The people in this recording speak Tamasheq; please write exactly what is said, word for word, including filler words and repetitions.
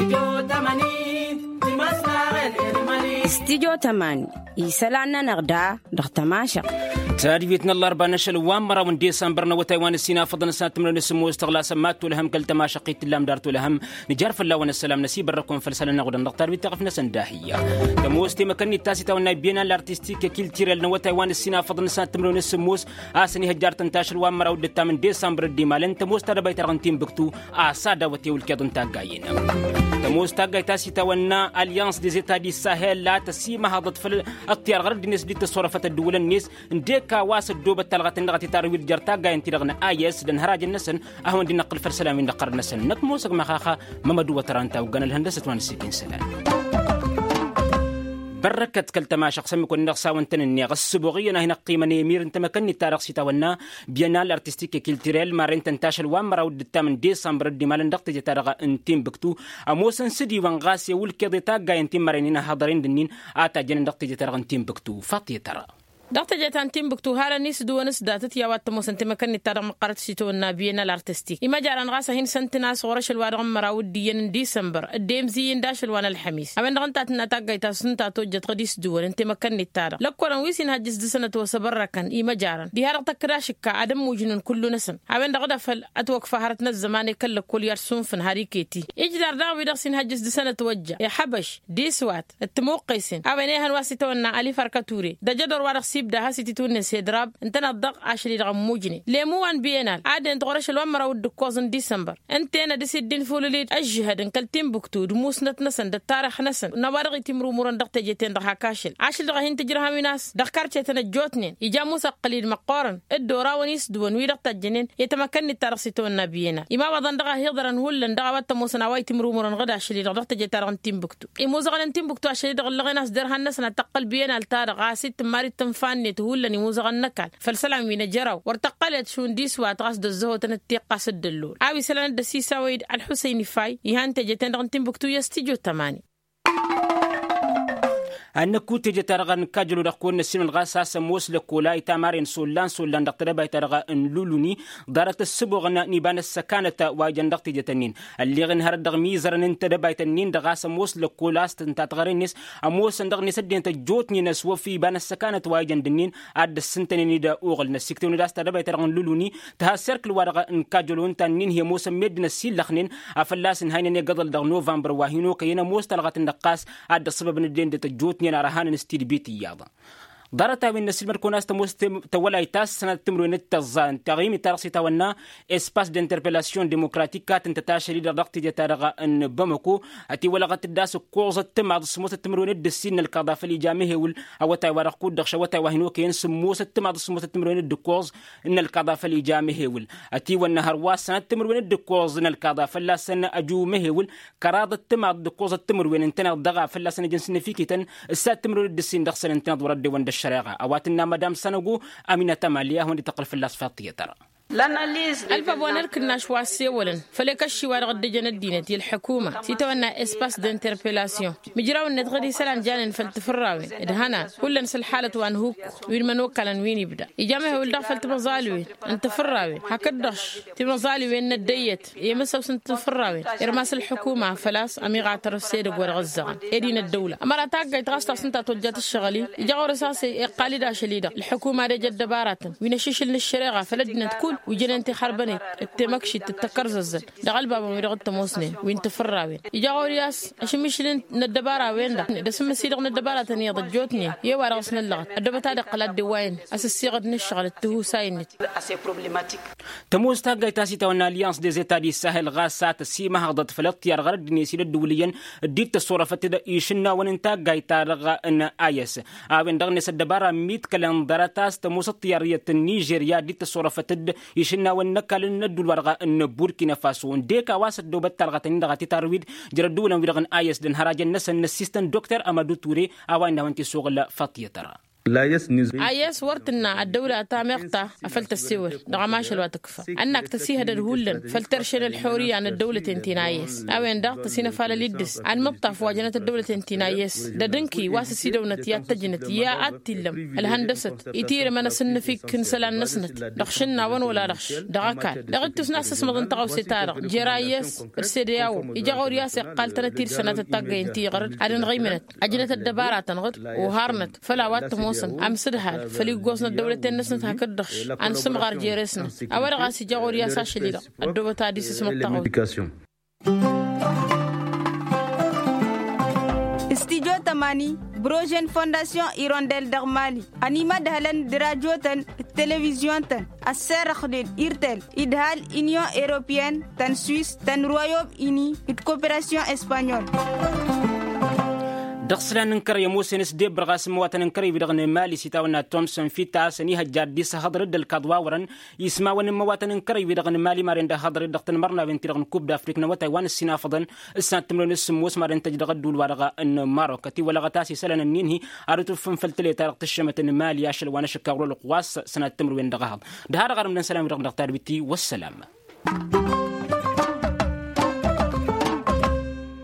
Stijo tămani isălan-nănăɣ da dăɣ-tămašăɣ. Tadbit n-ăllarba n-ašăl wa n-măraw n-disămbăr n-awătay wa n-ăssinafăḍăn s-ad-tǝmrăwen s-sǝmmos tăɣlasăm mad-tolăhăm kăl-tămašăɣ-t tǝllam dar tolăhăm. Nǝjar fălla-wăn ăssălam năsibărrăk-wen făll-isălan-năɣ udăn dăɣ-tadbit taɣǝf-năsăn d-ahǝyya. Tămoos temăkănnit ta s-itawănna bienal artistik i-kiltirel n-awătay wa n-ăssinafăḍăn s-ad-tǝmrăwen s-sǝmmos a-s ănihăjjartăn tašăl wa n-măraw d-ǝttam n-disămbăr d-imalăn tămoos ta dăbayt-ta-dăɣ n-tinbǝktu. A-s ad-awăt i-wǝlkeḍ n-taggayen. Tămoos taggayt ta s-itawănna alyans dezeta di sahel la tăsimăhăḍăt făll-ăṭṭyar ɣărăd-net d-tăsorăfăt ăddǝwǝlăn-net. Ǝndek a-wa s-ăddoobăt talɣăt-in-dăɣ a titarwǝd jer-taggayen ti-dăɣ n-ayǝs d-ănhărajăn-năsăn. Ad-hawăn-dd-năqqǝl făll-isălan-win-dăɣ ɣărăt-năsăn năkk ămoosăg măxaxa. Mămădwăt răntawgăn ălhăndăsăt wa n-ǝssin isălan. Bărrăkăt kăl-tămašăɣ s-ămmǝk-wăn-dăɣ s-a-wăn-tăn-ǝnneɣ ăssăboɣ iyyăn a hin-ăqqimăn emir n-temăkănnit-ta-dăɣ s-itawănna bienal artistik i-kiltirel marren-tăn tašăl wa n-măraw d-ǝttam n-disămbăr dd-imalăn dăɣ-teje-ta-dăɣ n-tinbǝktu. Ămoosăn s-dd-iwăn ɣas i-wǝlkeḍ i-taggayen ti n-mărăynen ăhhăḍăren d-ǝnnin a tajjănen dăɣ-teje-ta-dăɣ n-tinbǝktu. Faṭṭiyăt-ara. Dăɣ-teje ta n-tinbǝktu harăn isdǝwăn s-datăt i-a-wa t-ămoosăn temăkănnit-ta-dăɣ măqqărăt s-itawănna bienal artistik imăjarăn ɣas a hin-săn-tăn a-s ɣur-ašăl wa dăɣ-n măraw d-iyyăn n-disămbăr. Dd-emzǝyy n-dašăl wa n-ălḥămis a-wen-dăɣ ǝnta a tǝnna taggayt ta s-ǝnta a tojjăt ɣǝd isdǝwăn n-temăkănnit-ta-dăɣ lăkkolăn wi s-inhăjjǝs d-sănăt wa s-ăbărrăkăn imăjarăn diha-dăɣ tăkkăd ašǝkka ad-ămmujnǝn kullu-năsăn. A-wen-dăɣ d-afăl ătwăkfa hărăt n-ăzzăman i-kăl-lăkkol i-ad-sunfǝn har iket-i. Ijder daɣ wi-dăɣ s-inhăjjǝs d-sănăt wa ǝjja iḥăbăš d-iswat d-timuqqesen a-wen ehăn wa s-itawănna ălif arka ture d-ajădor wa dăɣ-s ibda has-ititwǝnne s-edrab ǝntăneḍ-dăɣ ašăl-i-dăɣ ămmujnen. Lemu wa n-bienal ad-ent ɣur-ašăl wa n-măraw d-ǝkkoẓ n-disămbăr ǝnta-en ad-dăr-s dd-infulǝl-dd ăžžǝhăd n-kăl-tinbǝktu d-musnăt-năsăn d-ăttarix-năsăn n-a-wa-dăɣ itimrumurăn dăɣ-teje-ten-dăɣ hak ašăl ašăl-dăɣ a hin-tǝjrăhăn wi n-a-s dăɣ-karcetăn ăjjootnen ija ămuss ăqqǝl-dd măqqoorăn. Dd-oraw n-isdǝwăn wi-dăɣ tajjănen i-temăkănnit-ta-dăɣ s-itawănna bienal imawaḍăn-dăɣ a hi-iḍărăn hullan dăɣ-a-wa t-ămoosăn a-wa itimrumurăn ɣǝd ašăl-i-dăɣ dăɣ-teje-ta-dăɣ n-tinbǝktu. Imuzăɣăn n-tinbǝktu ašăl-i-dăɣ ǝllăɣen a-s derhan-năsăn ad-tăqqăl bienal-ta-dăɣ ɣas ittǝmmar-dd tǝnfa-net hullan imuzăɣăn n-ăkall făll-isălan wi n-ejăraw wăr tăqqălet šund iswat ɣas d-ăzzăhotăn d-tiqqa s-dd-ăllol a-wa isălan dd-ăsisawăy-dd ălḥusăyn ifay. Ihan teje-ten-dăɣ n-tinbǝktu i-ăstijo tămani. Ad-năkku teje-ta-dăɣ n-kajălo dăɣ-kăwăn-năssinăl ɣas a-s ămoos lăkkola itamaren sollan sollan dăɣ-tedăbayt-ta-dăɣ n-luluni. Ḍarăt ăssăboɣăn n-iba n-ăssăkanăt wa ijăn dăɣ-teje-tăn-in ălleɣ-in hărăt dăɣ-imizărăn n-tedăbayt-nin-dăɣ a-s ămoos lăkkola a-s tǝnta tăɣre-net. Ămoosăn dăɣ-net ăddinăt ăjjootnen ăswăf iba n-ăssăkanăt wa ijăn d-ǝnnin ad-dd-ăssǝntănen-dd uɣǝl n-ăssiktewăn-dd a-s tedăbayt-ta-dăɣ n-luluni. Tǝha serkǝl-wa-dăɣ n-kajălo ǝnta ǝnnin hi-ămoosăn meddǝn ăsillăxnen a fălla-s ǝnhăynăn egăḍăl dăɣ-novămbăr wa hin-okăyăn ămoos talɣăt n-ăqqas ad-dd-ăṣṣăbăbăn ăddinăt ăjjootnen ar ăhanăn s-tidbit iyyăḍ. Ḍarăt-a-wen n-ăssilmăd-kăwăn a-s tămoos tăwălayt ta s-sănat timǝrwen d-tăẓẓa n-taɣimit-ta-dăɣ s-itawănna espace d'interpellation démocratique a tǝntăt ašăl-i-dăɣ dăɣ-teje-ta-dăɣ n-bamăko. Ătiwălăɣăt-dd a-s ǝkkoẓăt timaḍ s-sǝmmosăt timǝrwen d-ǝssin n-ălkaḍa făll-ija mehewǝl. Awătay-wa-dăɣ kud-dăɣ šăwătay wa hin-okăyăn sǝmmosăt timaḍ s-sǝmmosăt timǝrwen d-ǝkkoẓ n-ălkaḍa făll-ija mehewǝl. Ătiwănna hărwa s-sănat timǝrwen d-ǝkkoẓ n-ălkaḍa fălla-săn ăju mehewǝl. Kăraḍăt timaḍ d-ǝkkoẓăt timǝrwen ǝntăneḍ dăɣ-a fălla-săn ăjăn s-năfikităn. S-ad-timǝrwen d-ǝssin dăɣ-săn ǝntăneḍ wăr-ăddewăn d-ăššăreɣa a-wa tǝnna madam sănăgo. Aminăt ămali ad-hawăn-dd-tăqqǝl fălla-s faḍt tiyyăt ăra. Ălbab wa n-ărk ǝnnaš wa ăssewălăn făll-ekăšši-wa-dăɣ dd-ǝjăn ăddinăt i-ălḥukuma s-itawănna espace d'interpellation. Imǝjraw-net ɣǝd isălan janen făll-tifǝrrawen d-ihănan hullan s-ălḥalăt wa n-hukku wi n-imănokalăn wi n-ibda ija mehewǝl daɣ făll-timăẓalwen n-tifǝrrawen hakd-dăɣ timăẓalwen n-ăddăyyăt i-imǝssăws n-tifǝrrawen. Irmas ălḥukuma făl-a-s ămiɣatăr s-edăgg wa dăɣ-ăzzăɣăn ed-in ăddăwla ămăra taggayt ɣas ta s-ǝnta tojjat ǝššăɣǝl-i. Ija ɣur-s a-s iqqal-dd ašăl-i-dăɣ ălḥukuma ad-ej ăddăbaratăn wi n-ašišǝl n-ăššăreɣa făll-ăddinăt kull wi jănen tixărbănet d-temăkšit d-takărzăzzăt dăɣ-ălbabăn-wi-dăɣ t-ămoosnen wi n-tifǝrrawen. Ija ɣur-i a-s ašǝmmišǝl n-ăddăbara-wen-dăɣ d-asǝmmǝs-i-dăɣ n-ăddăbaratăn iyyăḍ ăjjootnen i-wa-dăɣ s-năllăɣăt ăddăbăt ad-iqqăl ad-dd-ewwayăn asǝssiɣăd n-ǝššăɣǝl d-tihusayen-net. Tămoos taggayt ta s-itawănna alyans dezeta d-isahel ɣas a tăsimăhăḍăt făll-ăṭṭyar ɣărădd-net i-dd-ăddǝwǝl iyyăn dd-tăṣṣurăfăt-dd išǝnnawăn n-taggayt-ta-dăɣ n-ayǝs. A-wen-dăɣ-net ăddăbara ămmiḍkălăn ḍarăt a-s tămoos ăṭṭyar iyyăt n-nižerya dd-tăṣṣurăfăt-dd išǝnnawăn n-ăkall n-ădduul-wa-dăɣ n-burkina faso ǝndek a-wa s-ăddoobăt talɣăt-nin-dăɣ a titarwid. Jer-ădduulăn-wi-dăɣ n-ayǝs d-ănhărajăn-năsăn n-ăssistăn dokter amădu ture a-wa innă a-wen t-isuɣǝl faṭiyăt ăra. Ayes wăr tǝnna ăddăwla ta meɣ ta afăl tăssewăl dăɣ-ămašăl wa tǝkfa ănnak tăsihădăd hullan făll-terše n-ălxorǝya n-ăddăwlăten ti n-ayes. A-wen-dăɣ tăsinăfalăl iddǝs anmǝṭṭaf wa jănăt ăddăwlăten ti n-ayes d-edǝnki wa s-ăsidăwnăt i-ad-tăjnăt i-ad-t-illăm ălhăndăsăt itirǝmăn asǝnnǝfikk n-isălan-năsnăt dăɣ-išǝnna a-wăn wăla dăɣ-š dăɣ-ăkall dăɣ-ittus n-asǝsmăḍ n-tăɣawse-ta-dăɣ jer-ayes d-sede a-wăn ija ɣur-i a-s iqqal-tănăt-dd sănatăt taggăyăn ti iɣărăd ad-ǝnɣǝymǝnăt ăjnăt ăddăbaratăn ɣǝd oharnăt făll-a-wa t-ămoosăn amsǝdhal făll-iggoẓ n-ăddăwlăten-năsnăt hakd-dăɣ-š. Ad-nǝsǝmɣar jere-snăt a-wa-dăɣ a-s ija ɣur-i a-s ašăl-i-dăɣ ăddoobăt ad-isǝsmăḍ tăɣawse. Studyo tămani, brožen fondasyon irondel dăɣ-mali ănimădhălăn d-rajotăn d-televizyon-tăn ăsserăxnen irtel idhal inyon europyen tăn-swis tăn-royom ini d-koperasyon espanyol. Dăɣ-islan n-kărăy ămoosăn s-debbăr ɣas n-măwatăn n-kărăy wi-dăɣ n-mali s-itawănna tomson fitta a-s ănihăjja ad-dd-isăhăḍrăd d-ălkaḍ wa wărăn ismawăn n-măwatăn n-kărăy wi-dăɣ n-mali maren d-ahăḍrăd dăɣ-tanmărnawen-ti-dăɣ n-kub d-afrik n-awătay wa n-ǝssinafăḍăn s-sănat timǝrwen s-sǝmmos maren tăj dăɣ-ădduul-wa-dăɣ n-marok ătiwălăɣăt a-s isălan ǝnnin-hi ad-dd-tufǝfăn făll-tăleta dăɣ-tǝššămăt n-mali ašăl wa n-ašăkkaɣ rolăɣ wa s-sănat timǝrwen dăɣ-ehăḍ. D-ha-dăɣ arǝmdăn isălan-wi-dăɣ dăɣ-tadbit-i wăssălam.